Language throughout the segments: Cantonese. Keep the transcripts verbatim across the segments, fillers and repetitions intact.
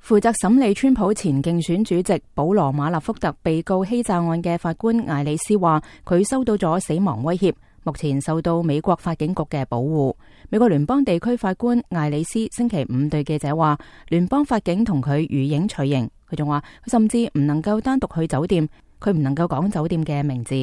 負責審理川普前競選主席保羅馬納福特被告欺詐案嘅法官艾里斯話，佢收到咗死亡威脅，目前受到美國法警局嘅保護。美國聯邦地區法官艾里斯星期五對記者話，聯邦法警同佢如影隨形。佢仲話，佢甚至唔能夠單獨去酒店，佢唔能夠講酒店嘅名字。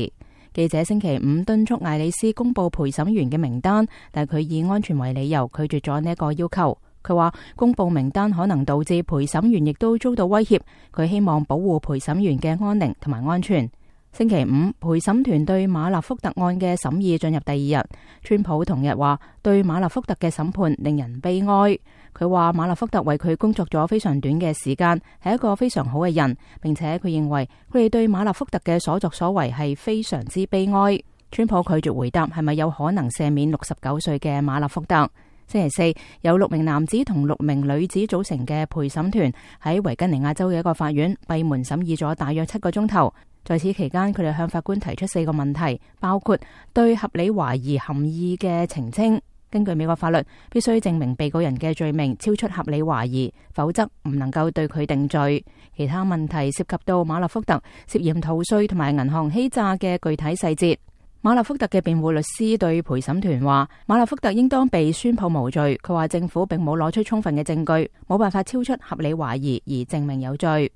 記者星期五敦促艾里斯公布陪審員嘅名單，但佢以安全為理由拒絕咗呢一個要求。佢話公布名單可能導致陪審員亦都遭到威脅，佢希望保護陪審員嘅安寧同埋安全。星期五，陪審團對馬納福特案嘅審議進入第二日。川普同日話對馬納福特嘅審判令人悲哀。佢話馬納福特為佢工作咗非常短嘅時間，係一個非常好嘅人，並且佢認為佢哋對馬納福特嘅所作所為係非常之悲哀。川普拒絕回答係咪有可能赦免六十九歲嘅馬納福特。星期四，有六名男子同六名女子組成嘅陪審團喺維吉尼亞州嘅一個法院閉門審議咗大約七個鐘頭。在此期間，佢哋向法官提出四個問題，包括對合理懷疑含義嘅澄清。根據美國法律，必須證明被告人嘅罪名超出合理懷疑，否則唔能夠對佢定罪。其他問題涉及到馬納福特涉嫌逃稅同埋銀行欺詐嘅具體細節。馬納福特嘅辯護律師對陪審團話，馬納福特應當被宣判無罪。佢話政府並冇攞出充分嘅證據，冇辦法超出合理懷疑而證明有罪。